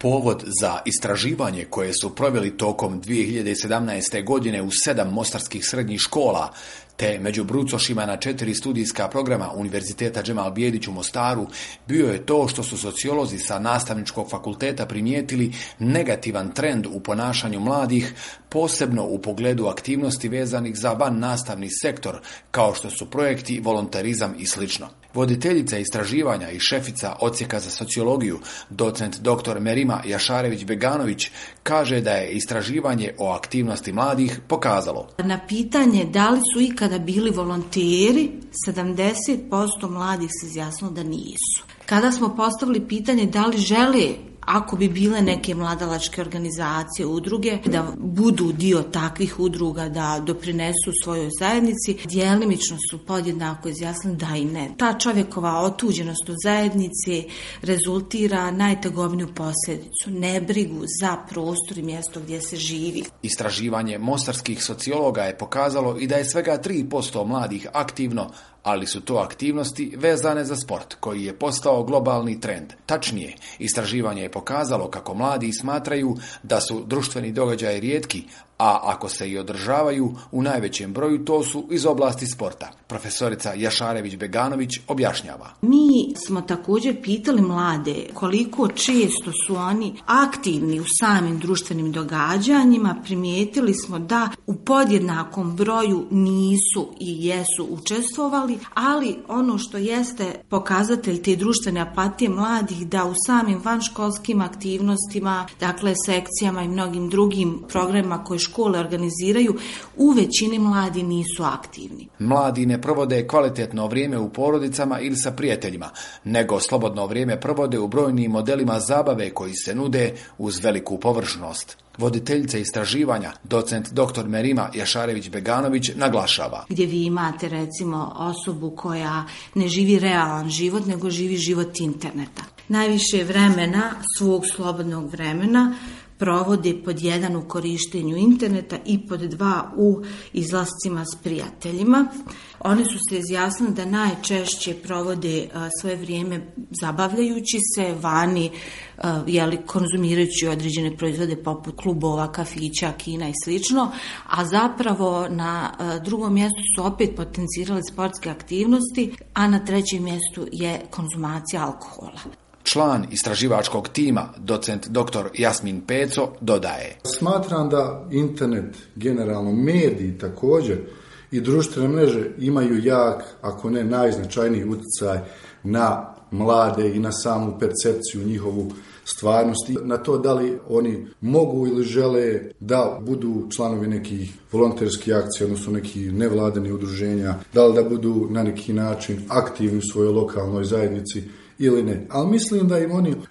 Povod za istraživanje koje su proveli tokom 2017. godine u 7 mostarskih srednjih škola, te među brucošima na 4 studijska programa Univerziteta Džemal Bijedić u Mostaru, bio je to što su sociolozi sa nastavničkog fakulteta primijetili negativan trend u ponašanju mladih, posebno u pogledu aktivnosti vezanih za van nastavni sektor, kao što su projekti, volonterizam i sl. Voditeljica istraživanja i šefica odsjeka za sociologiju, docent dr. Merima Jašarević-Beganović, kaže da je istraživanje o aktivnosti mladih pokazalo. Na pitanje da li su ikada bili volonteri, 70% mladih se izjasnilo da nisu. Kada smo postavili pitanje da li žele, ako bi bile neke mladalačke organizacije, udruge, da budu dio takvih udruga, da doprinesu svojoj zajednici, djelimično su podjednako izjasnili da i ne. Ta čovjekova otuđenost od zajednice rezultira najtegovniju posljedicu, nebrigu za prostor i mjesto gdje se živi. Istraživanje mostarskih sociologa je pokazalo i da je svega 3% mladih aktivno, ali su to aktivnosti vezane za sport, koji je postao globalni trend. Tačnije, istraživanje je pokazalo kako mladi smatraju da su društveni događaji rijetki, a ako se i održavaju, u najvećem broju to su iz oblasti sporta. Profesorica Jašarević-Beganović objašnjava. Mi smo također pitali mlade koliko često su oni aktivni u samim društvenim događanjima. Primijetili smo da u podjednakom broju nisu i jesu učestvovali, ali ono što jeste pokazatelj te društvene apatije mladih, da u samim vanškolskim aktivnostima, dakle sekcijama i mnogim drugim programima koje škole organiziraju, u većini mladi nisu aktivni. Mladi ne provode kvalitetno vrijeme u porodicama ili sa prijateljima, nego slobodno vrijeme provode u brojnim modelima zabave koji se nude uz veliku površnost. Voditeljica istraživanja, docent dr. Merima Jašarević-Beganović, naglašava. Gdje vi imate recimo osobu koja ne živi realan život, nego živi život interneta. Najviše vremena, svog slobodnog vremena, provode pod 1 u korištenju interneta i pod 2 u izlascima s prijateljima. Oni su se izjasnili da najčešće provode svoje vrijeme zabavljajući se vani, konzumirajući određene proizvode poput klubova, kafića, kina i slično, a zapravo na drugom mjestu su opet potencirali sportske aktivnosti, a na trećem mjestu je konzumacija alkohola. Član istraživačkog tima, docent dr. Jasmin Peco, dodaje. Smatram da internet, generalno mediji također i društvene mreže imaju jak, ako ne najznačajniji utjecaj na mlade i na samu percepciju njihovu stvarnosti, na to da li oni mogu ili žele da budu članovi nekih volonterskih akcija, odnosno nekih nevladinih udruženja, da li da budu na neki način aktivni u svojoj lokalnoj zajednici ili ne. Ali mislim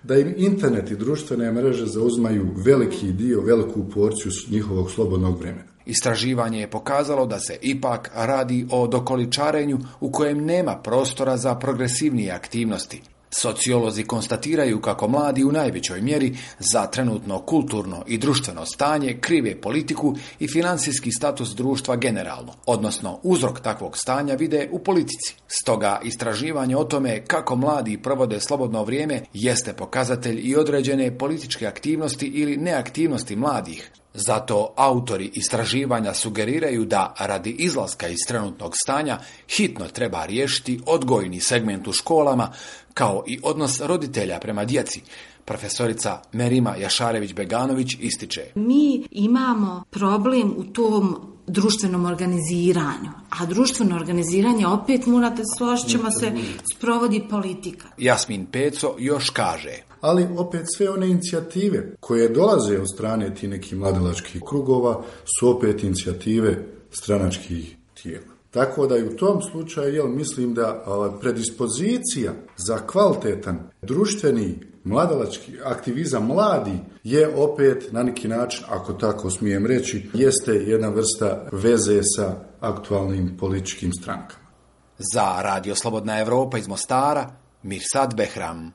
da im internet i društvene mreže zauzmaju veliki dio, veliku porciju njihovog slobodnog vremena. Istraživanje je pokazalo da se ipak radi o dokoličarenju u kojem nema prostora za progresivnije aktivnosti. Sociolozi konstatiraju kako mladi u najvećoj mjeri za trenutno kulturno i društveno stanje krive politiku i financijski status društva generalno, odnosno uzrok takvog stanja vide u politici. Stoga istraživanje o tome kako mladi provode slobodno vrijeme jeste pokazatelj i određene političke aktivnosti ili neaktivnosti mladih. Zato autori istraživanja sugeriraju da radi izlaska iz trenutnog stanja hitno treba riješiti odgojni segment u školama, kao i odnos roditelja prema djeci. Profesorica Merima Jašarević-Beganović ističe. Mi imamo problem u tom društvenom organiziranju, a društveno organiziranje, opet morate složit ćemo se, sprovodi politika. Jasmin Peco još kaže. Ali opet sve one inicijative koje dolaze od strane tih nekih mladalačkih krugova su opet inicijative stranačkih tijela. Tako da i u tom slučaju mislim da predispozicija za kvalitetan društveni mladalački aktivizam mladi je opet na neki način, ako tako smijem reći, jeste jedna vrsta veze sa aktualnim političkim strankama. Za Radio Slobodna Evropa iz Mostara, Mirsad Behram.